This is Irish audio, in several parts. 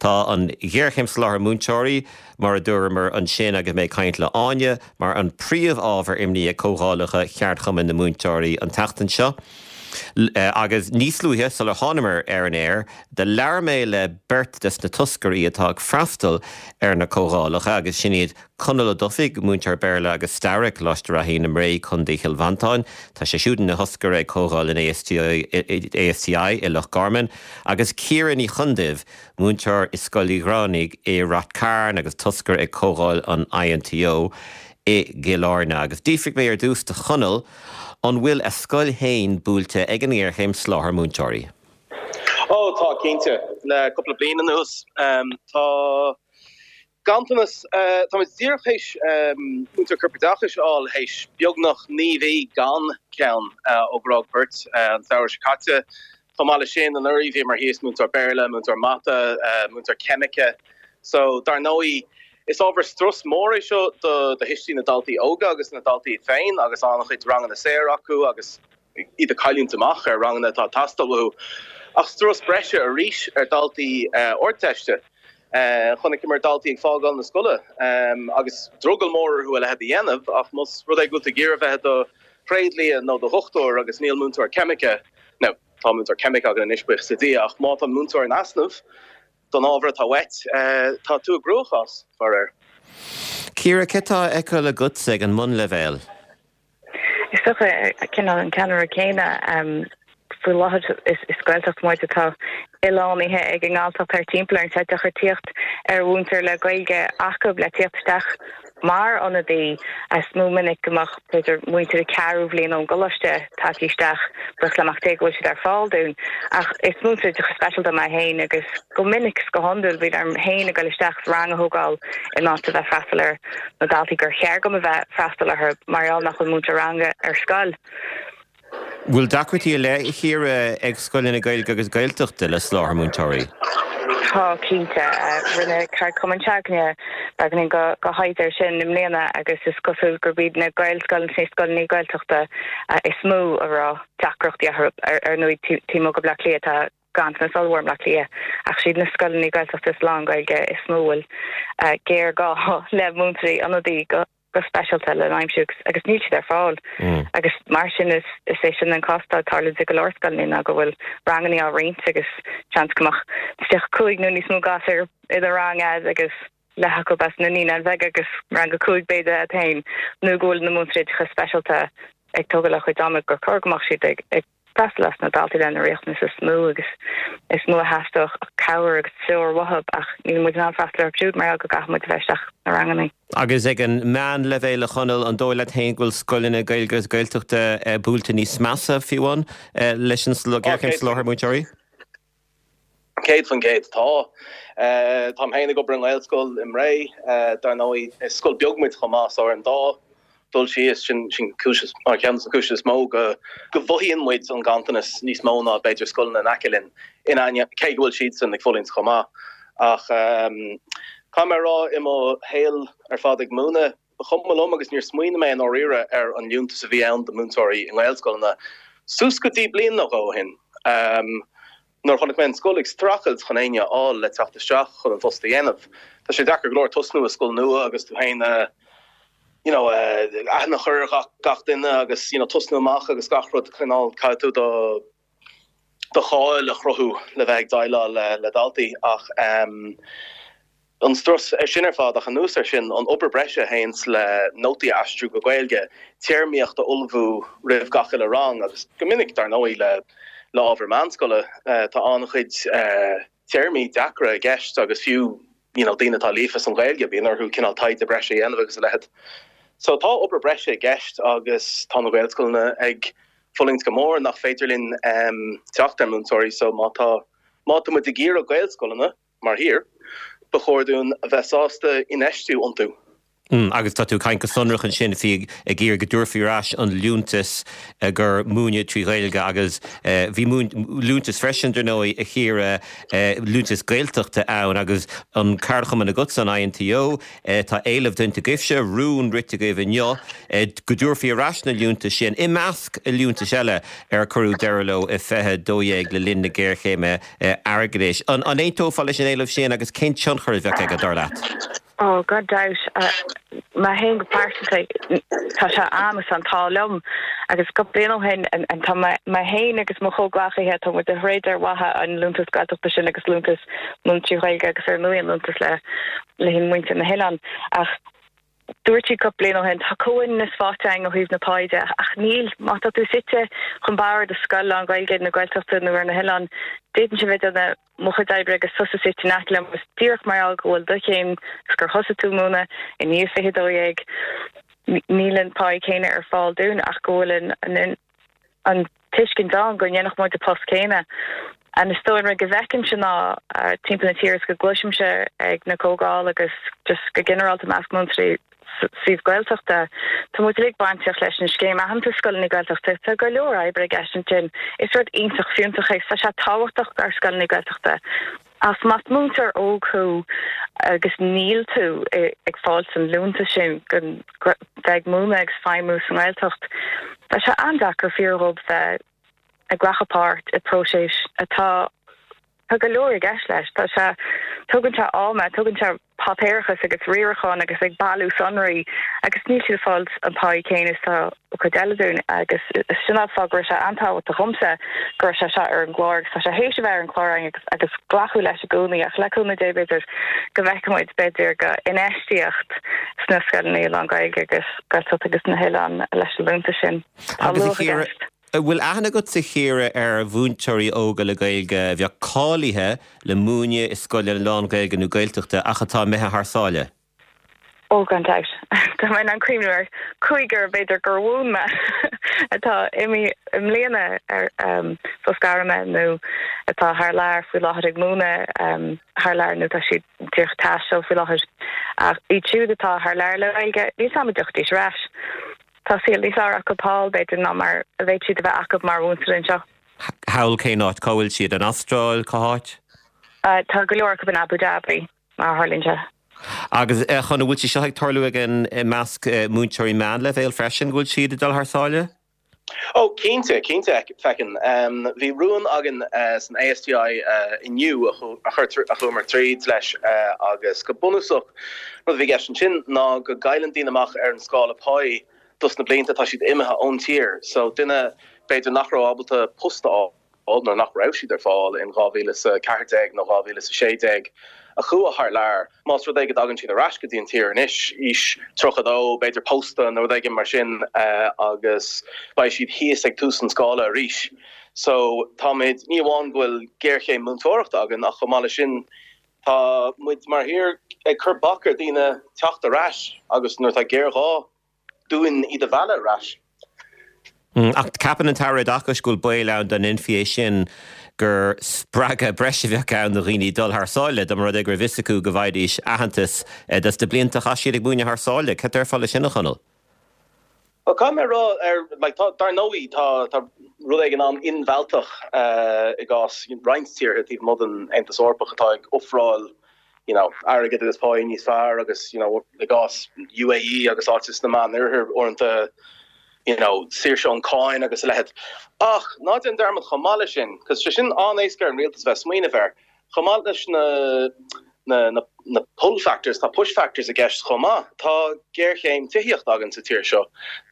Tá an ghéarchéim soláthair múinteoirí, mar a dúramar ansin agus mé ag caint le Áine, mar an príomh-ábhar imní ag comhdhálacha cheardchumann na múinteoirí an tseachtain seo. Agus níos luaithe, sular thánamar ar an aer, do labhair mé le beirt des na toscairí atá ag freastal ar na comhdhálacha agus sin iad Conall Ó Dufaigh, múinteoir Béarla agus Staire ag Coláiste Raithín i mBré, Co. Chill Mhantáin. Tá sé siúd ina thoscaire ag Comhdháil an ASTI i Loch Garman. Agus Ciara Ní Chonduibh, múinteoir i Scoil Uí Ghramhnaigh i Rath Cairn agus toscaire ag Comhdháil an INTO i gCill Airne. Agus d'fhiafraigh mé ar dtús de Chonall an bhfuil a scoil féin buailte ag an ngéarchéim soláthair múinteoirí. Ó, tá, cinnte. Le cúpla bliain anuas, tá ganntanas, táimid díreach théis múinteoir corpoideachais a fháil théis beagnach 9 mhí gan ceann ó gur fhág beirt an samhradh seo caite. Chomh maith leis sin, anuraidh bhíomar thíos múinteoir Béarla, múinteoir mata, múinteoir ceimice. So, dar ndóigh, is ábhar strus mór é seo do thuistí na daltaí óga agus na daltaí iad féin agus an-chuid ranganna saor acu agus iad ag cailliúint amach ar ranganna atá ag teastáil uathu. Ach strus breise arís ar dhaltaí Ardteiste. Chonaiceamar daltaí ag fágáil na scoile agus drogall mór orthu a leithéid a dhéanamh ach más rud é go bhfuil tú ag iarraidh bheith i do thréadlia nó do dhochtúir agus níl múinteoir ceimice, now tá múinteoir ceimice againn anois buíochas le Dia ach má tá múinteoir in easnamh don ábhar atá uait, tá tú i gcruachás, faraor. Ciara, céard atá á fheiceáil agatsa ag an mbunleibhéal? Is dócha, cineál an ceannaireacht céanna faoi láthair is Gaeltacht muid atá oileánaithe ag an nGalltacht thart timpeall orainn. Tá sé deacair tíocht ar mhúinteoir le Gaeilge acu le tíocht isteach mar ionadaí. Is mó minic go mbeadh, b'fhéidir, múinteoirí ceathrú bhliain ón gcoláiste tagtha isteach, buíochas le Mac Dé go bhfuil siad ar fáil dúinn. Ach is múinteoir oideachais speisialta mé féin agus go minic is go hiondúil bíonn orm féin a ghoil isteach is rang a thógáil in áit a bheith freastal ar na daltaí gur cheart dom a bheith freastal orthu mar gheall nach bhfuil múinteoir ranga ar scoil. Bhfuil deacrachtaí ar leith, a Chiara, ag scoileanna Gaeilge agus Gaeltachta le soláthar múinteoirí? Tá, cinnte. Rinne ceardchumann s'againne beagáinín de thaighde air sin i mbliana agus is cosúil gurb iad na Gaelscoileanna is na scoileanna Gaeltachta is mó a raibh deacrachtaí orthu. Ar ndóigh, taobh amuigh de Bhleá Cliath tá ganntanas ollmhór i mBleá Cliath, ach siad na scoileanna Gaeltachta is lán-Ghaeilge is mó a bhfuil géarghá le múinteoirí ionadaí go speisialta le n-aimsiú agus níl siad ar fáil. Agus mar sin is é sin an cás atá ag tarlúint i go leor scoileanna ná go bhfuil ranganna á roinnt agus seans go mbeadh 35 nó níos mó gasúr i do rang a'd agus leath acu as na Naíonáin Bheaga agus rang 5 b'fhéidir a'd féin nó go bhfuil na múinteoirí oideachais speisialta ag tógáil a gcuid ama gur chóir go mbeadh siad ag freastal ar na daltaí lena riachtanais is mó agus is mó a theastódh cabhair agus treoir uathu ach níl muid in ann freastal orthu siúd mar gheall go gcaithfidh muid a bheith isteach sna ranganna. Agus ag an meánleibhéal, a Chonaill, an dóigh leat féin go bhfuil scoileanna Gaeilge agus Gaeltachta buailte níos measa, fiú amháin, leis an ghéarchéim soláthair múinteoirí? 100% tá. Táim féin ag obair i nGaelscoil i mBré. Dar ndóigh, is scoil beag muid chomh maith, so ar an dá dul síos, sin cúis, mar cheann de na cúiseanna is mó go go mhothaíonn muid an ganntanas níos mó ná b'fhéidir scoileanna in aice linn, in ainneoin, cé go bhfuil siadsan ag fulaingt chomh maith. Ach caithfidh mé a rá, i mo shaol ar fad ag múineadh, Ba chuma liom agus níor smaoinigh mé i ndáiríre ar an liúntas a bhí ann do mhúinteoirí i nGaelscoileanna suas go dtí bliain nó dhó ó shin, nuair a chonaic mé an scoil ag streachailt chun éinne a fháil le teacht isteach chun an phost a dhéanamh. Tá sé deacair go leor tosnú i scoil nua agus tú féin a you know aithne a chur ar gach duine agus you know tosnú amach agus gach rud cineál caithfidh tú do do cháil a chruthú le bheith ag déileáil le daltaí ach an strus sin ar fad ach anuas air sin an obair breise a théanns le nótaí a aistriú go Gaeilge, téarmaíocht a ullmhú roimh gach uile rang agus go minic dar ndóigh le le ábhar meánscoile tá an-chuid téarmaí deacra i gceist agus fiú you know daoine atá líofa san Ghaeilge bíonn orthu cineál taighde breise a dhéanamh agus a leithéid. So tá obair breise i gceist agus tá na Gaelscoileanna ag fulaingt go mór nach féidir linn teacht ar múinteoirí so má tá má tá muid ag iarraidh Gaelscoileanna mar thír ba chóir dúinn a bheith sásta infheistiú iontu. Agus tá tú ag caint go sonrach ansin faoi ag iarraidh go dtabharfaí ar ais an liúntas gur múineadh trí Ghaeilge agus bhí liúntas freisin, dar ndóigh, a Chiara, liúntas Gaeltachta ann agus an ceardchumann agatsa, an INTO, tá éileamh déanta agaibhse, rún rite agaibh inniu go dtabharfaí ar ais na liúntais sin, i measc liúntais eile ar cuireadh deireadh leo i 2012 le linn na géarchéime airgeadais. An aontófá leis an éileamh sin agus cén tionchar a bheadh aige, dar leat? Ó, gan dabht. Mé féin go pearsanta, tá sé a'm is an t-ádh liom. Agus cúpla bliain ó shin, tá mé féin agus mo chomhghleacaithe, tá muid ag troid ar mhaithe an liúntas Gaeltachta sin agus liúntas múineadh trí Ghaeilge agus ar ndóigh an liúntas le le muintir na hoileán. Ach dúirt siad cúpla bliain ó shin, tá comhionannas faighte againn ó thaobh na páí de, ach níl. Má tá tú suite chun barr do scoil lán-Ghaeilge nó Gaeltachta nó ar na hoileáin, d'fhéadfainnse bheith ag déanamh mo chuid oibre agus tusa suite in aice liom agus díreach mar gheall go bhfuil do chéim agus gur thosaigh tú ag múineadh i ndiaidh 2012, níl an pá céanna ar fáil dúinn ach go bhfuil an an tuiscint ann go ndéanfadh muid an post céanna. And is dóigh an rud go bhfeicimse ná timpeall na tíre is go gcloisimse ag na comhdháil agus just go ginearálta i measc múinteoirí suíomh Gaeltachta. Tá muid uilig bainteach leis an scéim aitheantais scoileanna Gaeltachta. Tá go leor oibre i gceist ansin. Is rud iontach fiúntach é. Tá sé tábhachtach dár scoileanna Gaeltachta. Ach más múinteoir óg thú agus níl tú ag fáilt an liúntas sin go bheith ag múineadh agus feidhmiú sa nGaeltacht, tá sé an-deacair fíor dhóibh bheith ag glacadh páirt i bpróiseas atá Tá go leor i gceist leis. Tá sé, tógann sé ama, tógann sé páipéarachas agus riarachán agus ag bailiú sonraí agus níl siad ag fáil an pá céanna is atá an chuid eile dúinn agus sin an fáth go raibh sé an-tábhachtach dhomsa go raibh sé seo ar an gclár agus tá sé théis a bheith ar an gclár againn agus agus glacadh leis i gcónaí ach le cúnamh Dé b'fhéidir go bhfeicfidh muid b'fhéidir go infheistíocht sna scoileanna lán-Ghaeilge agus Gaeltacht agus na hoileáin leis an liúntas sin. Tá luach i gceist. An bhfuil aithne agatsa a Chiara ar mhúinteoirí óga le Gaeilge a bheadh cáilithe le múineadh i scoileanna lán-Ghaeilge nó Gaeltachta ach atá imithe thar sáile? Ó, gan dabht. Tá mé in ann cuimhniú ar chúigear b'fhéidir gur mhúin mé atá imithe i mbliana ar sos gairme nó atá thar lear faoi láthair ag múineadh thar lear nó tá siad díreach ag taisteal faoi láthair. Ach iad siúd atá thar lear le Gaeilge, níl 's a'm an dtiocfaidís ar ais. Tá saol níos fearr acu thall, b'fhéidir, ná mar a bheadh siad a bheith acu mar mhúinteoir anseo. Thall cén áit? Cá bhfuil siad? An Astráil? Cá háit? Tá go leor acu in Abu Dhabi, mar a tharlaíonn sé. Agus a Chonaill, an bhfuil sé seo ag tarlú ag an, i measc múinteoirí meánleibhéil freisin, go bhfuil siad ag dul thar sáile? Ó, cinnte, cinnte, feiceann. Bhí rún againn san ASTI inniu a chuamar tríd leis agus go bunúsach, rud a bhí i gceist ansin ná go gcailleann daoine amach ar an scála páí dos na blianta atá siad imithe ón tír. So duine b'fhéidir nach raibh ábalta post a fháil, nuair nach raibh siad ar fáil in 2014 nó 2016, a chuaigh thar lear. Más rud é go dtagann siad ar ais go dtí an tír anois, aois 32, b'fhéidir pósta nó rud éigin mar sin, agus beidh siad thíos ag tús an scála arís. So táimid, ní amháin go bhfuil géarchéim múinteoireachta againn ach chomh maith leis sin tá muid mar thír ag cur bac ar daoine teacht ar ais agus nuair atá géarghá dúinn iad a mhealladh ar ais. Ach ceapann an tAire Oideachais go bhfuil baol ann dá ndéanfaí é sin gur spreagadh breise a bheadh ann do dhaoine dul thar sáile, dá mba rud é go raibh fhios acu go bhfaighidís aitheantas dos na blianta a chaith siad ag múineadh thar sáile. Cad déarfá leis sin, a Chonaill? Bhuel, caithfidh mé a rá, ar, like, tá, dar ndóigh, tá, tá rud éigin an-inmhealltach i gcás roinnt tíortha taobh amuigh den Aontas Eorpach atá ag ofráil you know, airgead agus páí níos fearr agus, you know, i gcás UAE agus áiteanna sna Meánoirthir uaireanta, you know, saoirse ón cáin agus a leithéid. Ach ná déan dearmad chomh maith leis sin, cos sé sin an-éasca ar an rialtas a bheith ag smaoineamh air, chomh maith leis na, na, na, na pull factors, tá push factors i gceist chomh maith. Tá géarchéim tithíochta againn sa tír seo.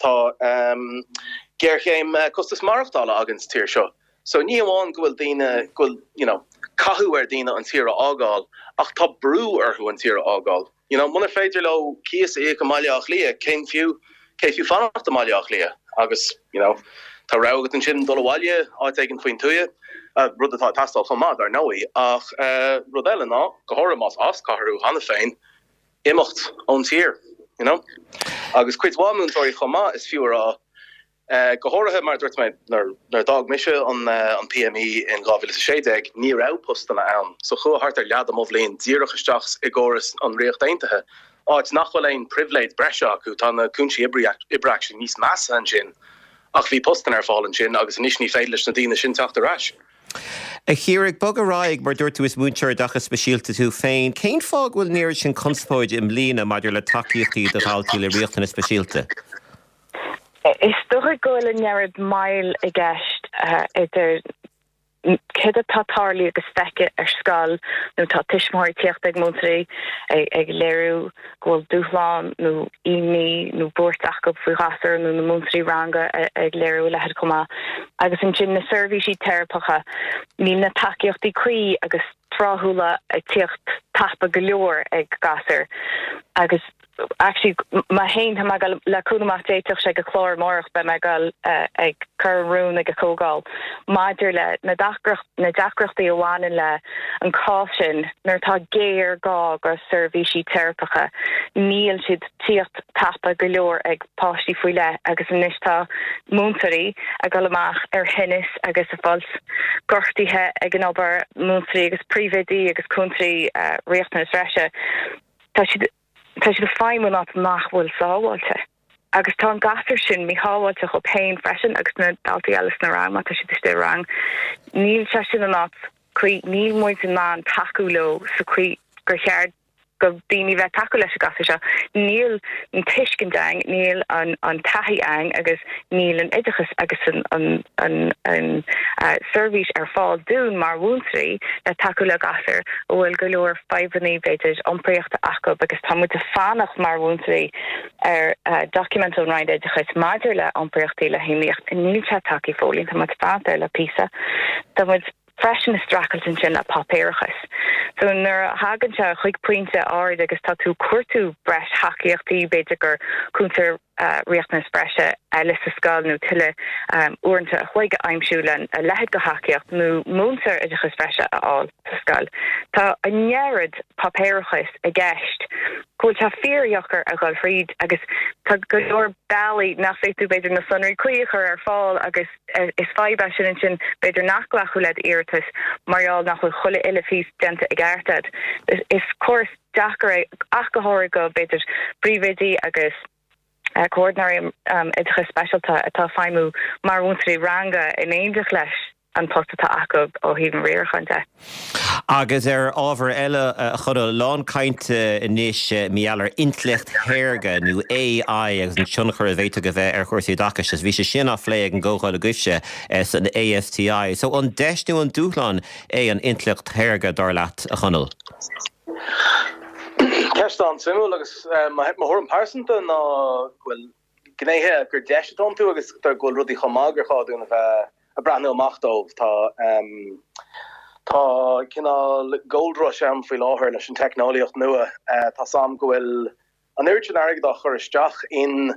Tá ehm, géarchéim costas maireachtála againn sa tír seo. So ní amháin go bhfuil daoine, go bhfuil, you know, cathú ar daoine an tír a fhágáil, ach tá brú orthu an tír a fhágáil. You know, munar féidir leo cíos a íoc i mBaile Átha Cliath, cén fiú, cé fiú fanacht i mBaile Átha Cliath? Agus, you know, tá rogha agat ansin dul abhaile, áit éigin faoin tuath, rud atá ag teastáil chomh maith, dar ndóigh, ach rud eile ná, go háirithe más as cathair thú cheana féin, imeacht ón tír, you know. Agus cuid mhaith múinteoirí chomh maith, is fiú a rá, Go háirithe, mar a dúirt mé, nuair a d'fhág mise an PME in 2016, ní raibh postanna ann, so chuaigh thart ar leath de mo bhliain díreach isteach i gcóras an Ríocht Aontaithe, áit nach bhfuil aon pribhléid breise acu, tá na cúinsí oibre actually níos measa ansin ach bhí postanna ar fáil ansin agus anois ní féidir leis na daoine sin teacht ar ais. A Chiara, ag bogadh ar aghaidh, mar dúirt tú is múinteoir oideachais speisialta tú féin, cén fáth go bhfuil an oiread sin conspóide i mbliana maidir le tacaíochtaí do dhaltaí le riachtanais speisialta? Is dócha go bhfuil an oiread moill i gceist idir céard atá tarlaithe agus feicthe ar scoil nó tá tuismitheoirí ag tíocht ag múinteoirí ag léiriú go bhfuil dúshlán nó imní nó buairt acu faoi ghasúr nó na múinteoirí ranga ag léiriú a leithéid chomh maith. Agus ansin na seirbhísí teiripeacha, níl na tacaíochtaí cuí agus tráthúla ag tíocht tapa go leor ag gasúir agus actually mé féin tá mé ag dul le cúnamh amach d'fhéadfadh sé go clár amárach beidh mé ag dul ag cur an rún ag an chomhdháil maidir le na na deacrachtaí a bhaineann le an cás sin nuair atá géarghá go seirbhísí teiripeacha níl siad tíocht tapa go leor ag páistí faoi leith agus anois tá múinteoirí ag dul amach ar thinneas agus ag fáilt gortaithe ag an obair, múinteoirí agus príomhoidí agus cúntóirí riachtanas bhreise. Tá siad tá siad ag feidhmiú in áit nach bhfuil sábháilte. Agus tá an gasúr sin míshábháilte dhóibh féin freisin agus na daltaí eile sna rang má tá siad istigh i rang. Níl sé sin an áit cuí, níl muid in ann tacú leo sa chaoi gur cheart go daoine bheith tacú leis an gasúr seo. Níl an tuiscint ann, níl an an taithí ann agus níl an oideachas agus an an an an seirbhís ar fáil dúinn mar mhúinteoirí le tacú le gasúir a bhfuil go leor fadhbanna b'fhéidir iompraíochta acu agus tá muid ag fanacht mar mhúinteoirí ar document ón Roinn Oideachais maidir le iompraíochtaí le hiomaíocht. Níl sé tagtha fóill, tá muid ag fanacht air le píosa. Tá muid freisin ag streachailt ansin le páipéarachas. So nuair a thagann sé chuig pointe áirid agus tá tú ag cuartú breis thacaíochtaí, b'fhéidir gur cúntóir riachtanas breise eile sa scoil nó tuilleadh uaireanta a chloig a aimsiú le a leithéid de thacaíocht nó múinteoir oideachais bhreise a fháil sa scoil. Tá an oiread páipéarachais i gceist go bhfuil sé fíordheacair a dhul thríd agus tá go leor bealaí nach bhféadfaidh tú b'fhéidir na sonraí cuí a chur ar fáil agus is fadhb é sin ansin b'fhéidir nach glacadh le d'iarratas mar gheall nach bhfuil chuile uile phíosa déanta i gceart agat. Is córas deacair é, ach go háirithe go, b'fhéidir, príomhoidí agus comhordaitheoirí oideachais speisialta atá ag feidhmiú mar mhúinteoirí ranga in éineacht leis an post atá acu ó thaobh an riaracháin de. Agus ar ábhar eile, a Chonaill, lán cainte anois mar gheall ar intleacht shaorga nó AI agus an tionchar a bhféadfadh a bheith ar chúrsaí oideachais agus bhí sé sin á phlé ag an gcomhdháil agaibhse san ASTI. So an deis nó an dúshlán é an intleacht shaorga, dar leat, a Chonaill? Ceist an-suimiúil agus mo thuairim pearsanta ná go bhfuil gnéithe gur deis atá iontu agus go bhfuil rudaí chomh maith gur chóir dúinn a bheith ag breathnú amach dóibh. Tá tá cineál gold rush ann faoi láthair leis an teicneolaíocht nua. Tá 's a'm go bhfuil an oiread sin airgid á chur isteach in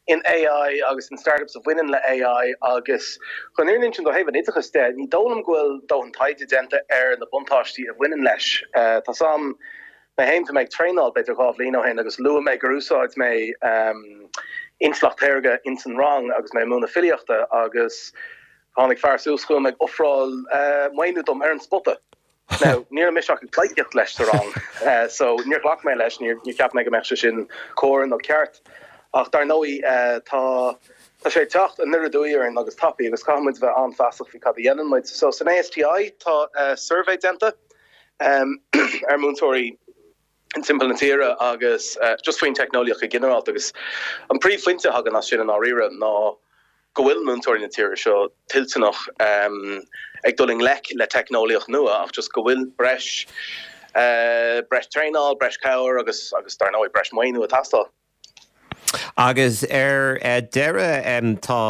in AI agus in startups a bhaineann le AI agus chun an fhírinne a insint ó thaobh an oideachais de, ní dóigh liom go bhfuil dóthain taighde déanta ar na buntáistí a bhaineann leis. Tá 's a'm, mé féin, bhí mé ag traenáil b'fhéidir 2 bhliain ó shin agus luaigh mé gur úsáid mé intleacht shaorga ins an rang agus mé ag múineadh filíochta agus tháinig fear suas chugam ag ofráil maoiniú dom ar an spota. Now, ní raibh mise ach ag pleidhcíocht leis sa rang, so níor ghlac mé leis, níor cheap mé go mbeadh sé sin cóir nó ceart. Ach dar ndóigh, tá, tá sé ag teacht aniar aduaidh orainn agus tapaidh agus caithfidh muid a bheith an-fheasach faoi cad a dhéanann muid. So, san ASTI, tá suirbhé déanta ar mhúinteoirí timpeall na tíre agus just faoin teicneolaíocht go ginearálta agus an príomhphointe a thagann as sin i ndáiríre ná go bhfuil múinteoirí na tíre seo toilteanach ag dul i ngleic le teicneolaíocht nua ach just go bhfuil breis breis traenáil, breis cabhair agus agus dar ndóigh breis maoiniú ag teastáil. Agus ar deireadh, tá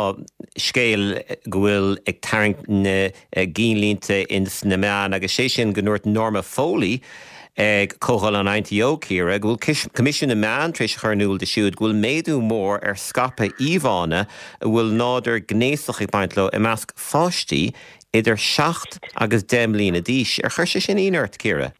scéal go bhfuil ag tarraingt na gcinnlínte ins na meáin agus sé sin go ndúirt Norma Foley ag Comhdháil an INTO, Ciara, go bhfuil Coimisiún na Meán tar éis a chur in iúl di siúd go bhfuil méadú mór ar scaipeadh íomhánna a bhfuil nádúr gnéasach ag baint leo i measc pháistí idir 7 agus 10 mbliana d'aois. Ar chuir sé sin ionadh ort, Ciara?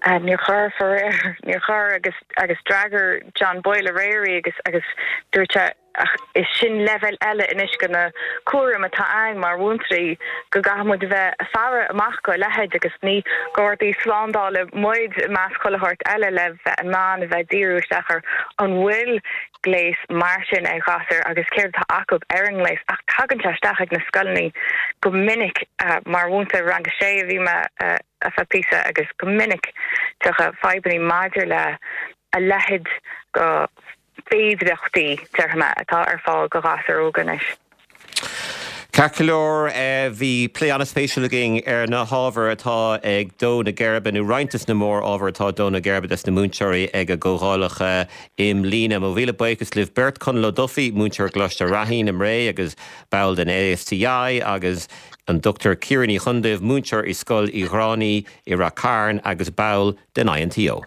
Níor chuir, faraor, níor chuir agus agus d'fhreagair John Boyle aréir í agus agus dúirt sé. Ach is sin leibhéal eile anois de na cúraim atá againn mar mhúinteoirí, go gcaithfidh muid a bheith ag faire amach go a leithéid agus ní gardaí slándála muid i measc chuile shórt eile le bheith in ann a bheith ag díriú isteach ar an bhfuil gléas mar sin ag ghasúir agus céard atá acu ar an ngléas. Ach tagann sé isteach ag na scoileanna go minic. Mar mhúinteoir rang a sé a bhí mé ar feadh píosa agus go minic tiocfaidh fadhbanna maidir le a leithéid go féidireachtaí, déarfaidh mé, atá ar fáil go ghasúir óga anois. Ceart go leor, bhí plé an-spéisiúil againn ar na hábhair atá ag dó na geirbe, nó roinnt des na mór-ábhair atá ag dó na geirbe des na múinteoirí ag a gcomhdhálacha i mbliana. Mo mhíle buíochas libh beirt, Conall Ó Dufaigh, múinteoir i gColáiste Raithín i mBré agus ball den ASTI, agus an Dr Ciara Ní Chonduibh, múinteoir i Scoil Uí Ghráinní i Rath Cairn agus ball den INTO.